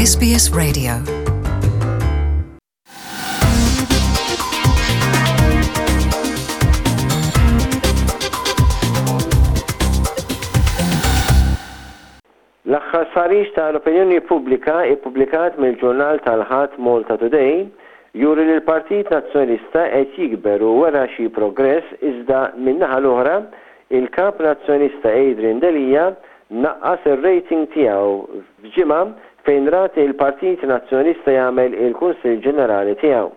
SBS Radio. L-aħħar stħarriġ ta' l-opinjoni pubblika ippubblikat mill-ġurnal tal-Ħadd Malta Today juri li l-Partit Nazzjonalista qed jikber u wera xi progress iżda min-naħa l-oħra il-Kap Nazzjonalista Adrian Delia naqqas ir-rating tiegħu f'ġimgħa fejn rat il-Partit Nazzjonalista jagħmel il-Kunsill Ġenerali tiegħu.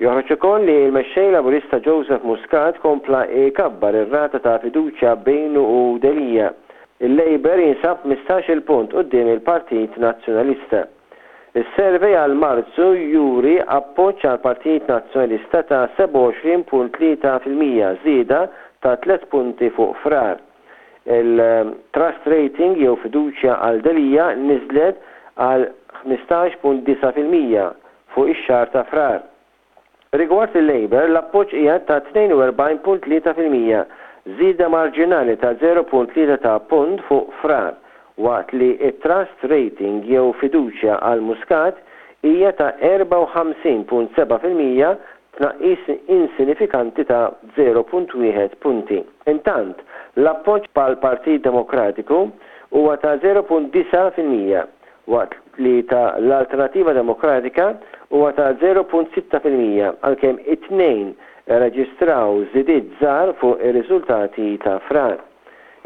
Joħroġ ukoll li l-Mexxej Laburista Joseph Muscat kompla jkabbar ir-rata ta' fiduċja bejnu u Delia. Il-Labour jinsab 15-il punt quddiem il-Partit Nazzjonalista. Is-survey għal Marzu juri appoġġ għall-Partit Nazzjonalista ta' 27.3%, żieda ta' tliet punti fuq Frar. Il-trust rating jew fiduċja għal Delia niżlet għal 15.9% fuq ix-xahar ta' Frar. Rigward il-Labour, l-appoġġ qiegħed ta' 42.3%, żieda marġinali ta' 0.3 ta' punt fuq Frar, waqt li t-trust rating jew fiduċja għal Muscat hija ta' 54.7%, tnaqqis insinifikanti ta' 0.1 punti. Intant, l-appoġġ għall-Partit Demokratiku huwa ta' 0.9%, waqt li ta' l-Alternattiva Demokratika huwa ta' 0.6% għalkemm it-tnejn irreġistraw żidiet żgħar fuq ir-riżultati ta' Frar.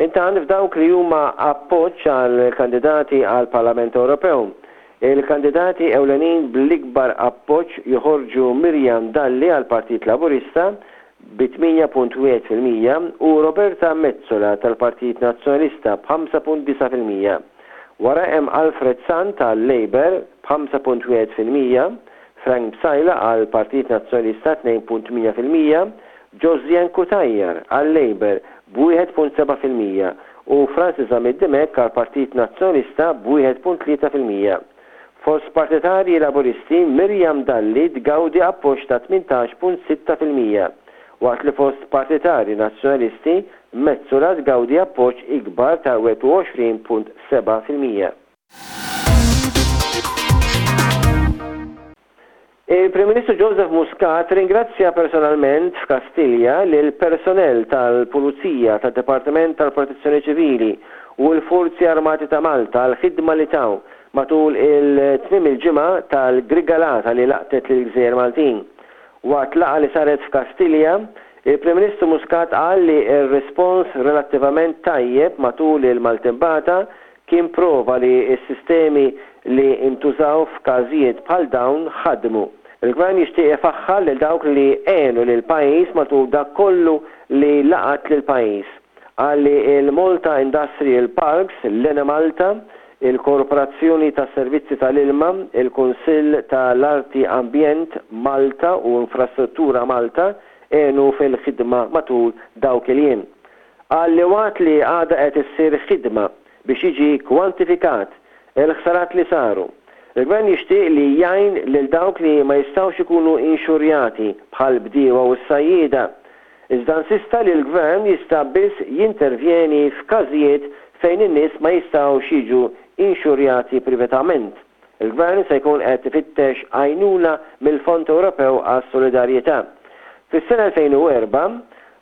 Intant, f'dawk li huma appoġġ għall-kandidati għall-Parlament Ewropew, il-kandidati ewlenin bl-ikbar appoġġ joħorġu Miriam Dalli għall-Partit Laburista bi 8.1% u Roberta Metsola tal-Partit Nazzjonalista b'5.9%. Wara hemm Alfred Sant għal-Labour b'5.1%, Frank Psaila għall-Partit Nazzjonalista 2.8%, Josianne Cutajar għal-Labour b'1.7% u Francis Zammit Dimech għall-Partit Nazzjonalista b'1.3%. Fost partitarji Laburisti, Miriam Dalli tgawdi appoġġ ta' 18.6%, waqt li fost partitarji Nazzjonalisti, Metsola tgawdi appoġġ ikbar ta' 21.7%. Il-Prim Ministru Joseph Muscat ringrazzja personalment f'Kastilja lill-personnel tal-Pulizija, tad-Dipartiment tal-Protezzjoni Ċivili u l-Forzi Armati ta' Malta għall-ħidma li taw matul il-tmiem il-ġimgħa tal-grigalata li laqtet lill-gżejjer Maltin. Waqt laqgħa li saret f'Kastilja, il-Prim Ministru Muscat qal li r-rispons relattivament tajjeb matul il-maltempata Kien prova li s-sistemi li ntużaw f'każijiet bħal dawn ħadmu. Il-Gvern jixtieq ifaħħar lil dawk li għenu lill-pajjiż matul dak kollu li laqat lill-pajjiż. Qal li l-Malta Industrial Parks, l-Enemalta, il-Korporazzjoni tas-Servizzi tal-Ilma, il-Kunsill ta' l-Arti Ambjent Malta u Infrastruttura Malta għenu fil-ħidma matul dawk il-jiem. Qal li waqt li għadha qed issir ħidma biex jiġi kwantifikat il-ħsarat li saru, il-Gvern jixtieq li jgħin lil dawk li ma jistgħux ikunu inxurjati bħall-bdiewa u s-sajjieda. Iżda insista li l-Gvern jista' biss jintervjeni f'każijiet fejn in-nies ma jistgħux jiġu inxurjati privatament. Il-Gvern se jkun qed ifittex għajnuna mill-Fond Ewropew għas-Solidarjetà. Fis-sena 2004,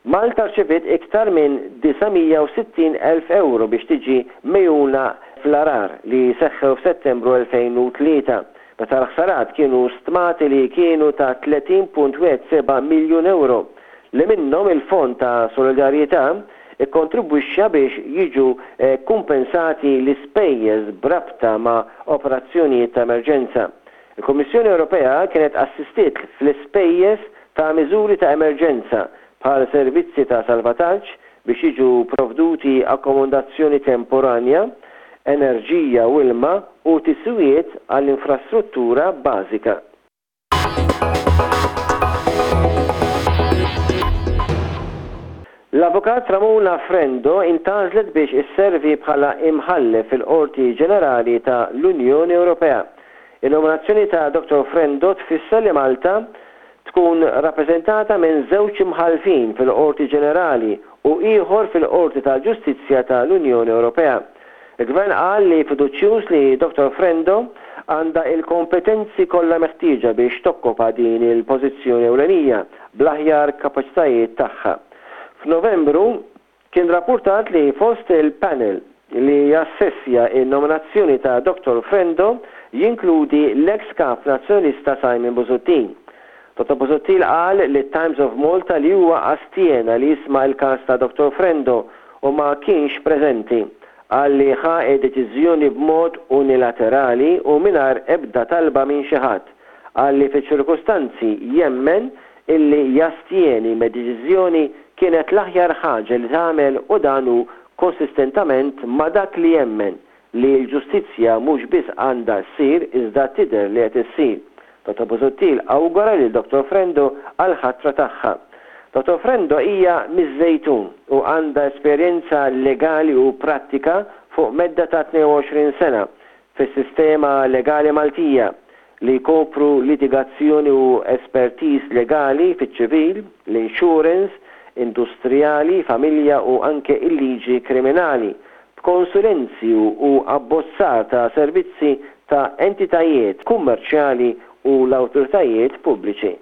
Malta rċeviet iktar minn 960 elf ewro biex tiġi megħjuna fl-għarar li seħħew f'Settembru 2003, meta l-ħsarat kienu stmati li kienu ta' 30.17 miljun ewro, li minnhom il-Fond ta' Solidarjetà ikkontribwixxa biex jiġu kkumpensati l-ispejjeż b'rabta ma' operazzjonijiet ta' emerġenza. Il-Kummissjoni Ewropea kienet assistiet fl-ispejjeż ta' miżuri ta' emerġenza bħal servizzi ta' salvataġġ biex jiġu provduti akkomodazzjoni temporanja, enerġija u ilma u tiswijiet għall-infrastruttura bażika. L-Avukat Ramona Frendo intgħażlet biex isservi bħala Imħallef fil-Qorti Ġenerali ta' l-Unjoni Ewropea. In-nominazzjoni ta' Dottor Frendo tfisser li Malta tkun rappreżentata minn żewġ Imħallfin fil-Qorti Ġenerali u ieħor fil-Qorti tal-Ġustizzja ta' l-Unjoni Ewropea. Il-Gvern qal li fiduċjuż li Dottor Frendo għandha il-kompetenzi kollha meħtieġa biex tokkopa din il-pożizzjoni ewlenija bl-aħjar kapaċitajiet tagħha. F'Novembru, kien rappurtat li fost il-panel li jassessja n-nominazzjoni ta' Dottor Frendo jinkludi l-eks Kap Nazzjonalista Simon Busuttil. Dottor Busuttil qal lit-Times of Malta li huwa astjena li jisma' l-każ ta' Dottor Frendo u ma kienx preżenti. Qal li ħa d-deċiżjoni b'mod unilaterali u mingħajr ebda talba minn xi ħadd. Qal li fiċ-ċirkustanzi jemmen illi jastjeni mid-deċiżjoni kienet l-aħjar ħaġa li tagħmel u dan hu konsistentament ma' dak li jemmen li l-ġustizzja mhux biss għandha ssir iżda tidher li qed issir. Dottor Busuttil awgura lil Dottor Frendo għall-ħatra tagħha. Dottor Frendo hija miż-Żejtun u għandha esperjenza legali u prattika fuq medda ta' 22 sena fis-sistema legali Maltija li jkopru litigazzjoni u espertiż legali fiċ-ċivil, l-insurance, industrijali, familja u anke il-liġi kriminali, b'konsulenzi u abbozzar ta' servizzi ta' entitajiet kummerċjali u l-awtoritajiet pubbliċi.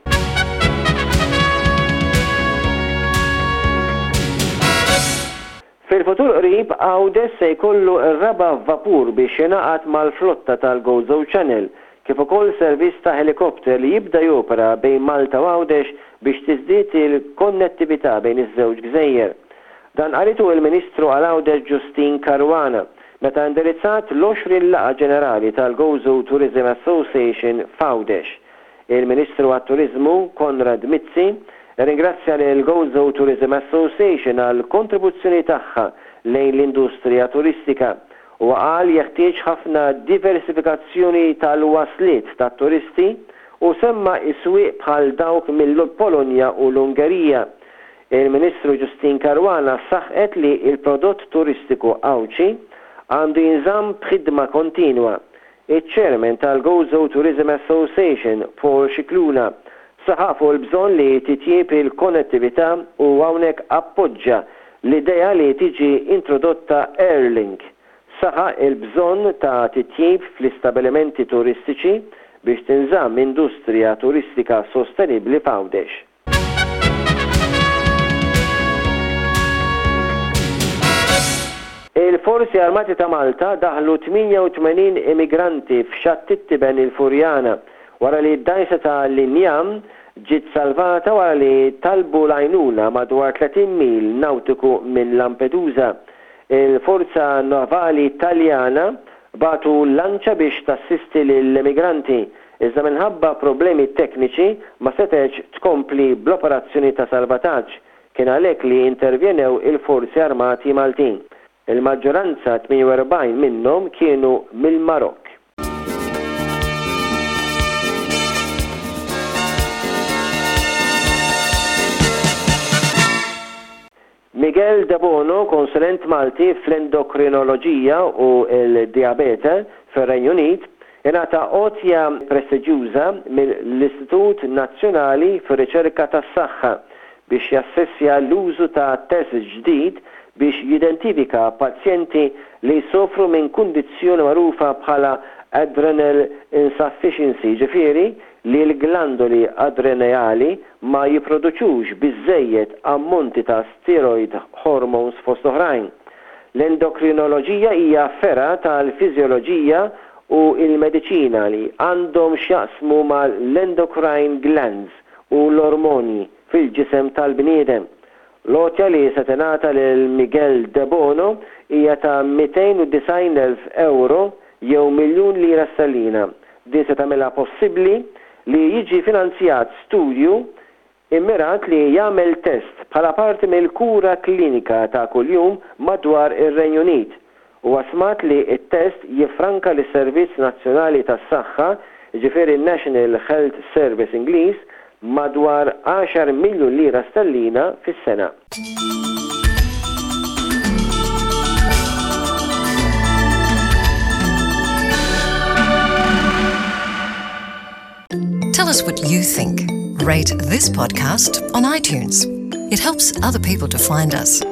Fil-futur qrib, Għawdex se jkollu r-raba' vapur biex jingħaqad mal-flotta tal-Gozo Channel, kif ukoll servizz ta' ħelikopter li jibda jopera bejn Malta u Għawdex biex tiżdied il-konnettività bejn iż-żewġ gżejjer. Dan qalitu il-Ministru għal Għawdex Justyne Caruana meta indirizzat l-20 laqgħa ġenerali tal-Gozo Tourism Association f'Għawdex. Il-Ministru għat-Turiżmu Konrad Mizzi rringrazzja lill-Gozo Tourism Association għall-kontribuzzjoni tagħha lejn l-industrija turistika. Huwa qal jeħtieġ ħafna diversifikazzjoni tal-wasliet tat-turisti u semma s-swieq bħal dawk mill-Polonja u l-Ungerija. Il-Ministru Justyne Caruana saħqet li l-prodott turistiku Għawdxi għandu jinżamm b'ħidma kontinwa Iċ-Chairman tal-Gozo Tourism Association, Paul Scicluna, saħaq fuq il-bżonn li titjieb il-konnettività u hawnhekk appoġġa l-idea li tiġi introdotta Airlink. Saħaq il-bżonn ta' titjib fl-istabilimenti turistiċi biex tinżamm industrija turistika sostenibbli f'Għawdex. Il-Forzi Armati ta' Malta daħlu 88 immigranti f'Xatt it-Tiben il-Furjana wara li d-dgħajsa ta' l-injam ġiet salvata wara li talbu l-għajnuna madwar 30 mil nawtiku minn Lampedusa. Il-Forza Navali Taljana bagħtu lanċa biex tassisti lill-immigranti Iżda minħabba problemi tekniċi ma setgħetx tkompli bl-operazzjoni ta' salvataġġ. Kien għalhekk li intervjenew il-Forzi Armati Maltin. Il-maġġoranza, 48 minnhom, kienu mill-Marokk. Miguel Debono, konsulent Malti fl-endokrinoloġija u l-dijabete fir-Renju Unit, ingħata għotja prestiġjuża mill-Istitut Nazzjonali fir-Riċerka tas-Saħħa biex jassessja l-użu ta' test ġdid biex jidentifika pazjenti li jsofru minn kundizzjoni magħrufa bħala adrenal insufficiency, jiġifieri li l-glandoli adreneali ma jipproduċux biżżejjed ammonti ta' steroid hormones fost oħrajn. L-endokrinoloġija hija fergħa tal-fiżjoloġija u l-mediċina li għandhom x'jaqsmu mal-endocrine glands u l-ormoni fil-ġisem tal-bniedem. L-għotja li se tingħata lil Miguel Debono hija ta' 290,000 ewro jew miljun lira sterlina. Din se tagħmilha possibbli li jiġi finanzjat studju immirat li jagħmel test bħala parti mill-kura klinika ta' kuljum madwar ir-Renju Unit. Huwa stmat li t-test jiffranka lis-Servizz Nazzjonali tas-Saħħa, jiġifieri n-National Health Service Ingliż, madwar għaxar miljun lira sterlina fis-sena. Tell us what you think. Rate this podcast on iTunes. It helps other people to find us.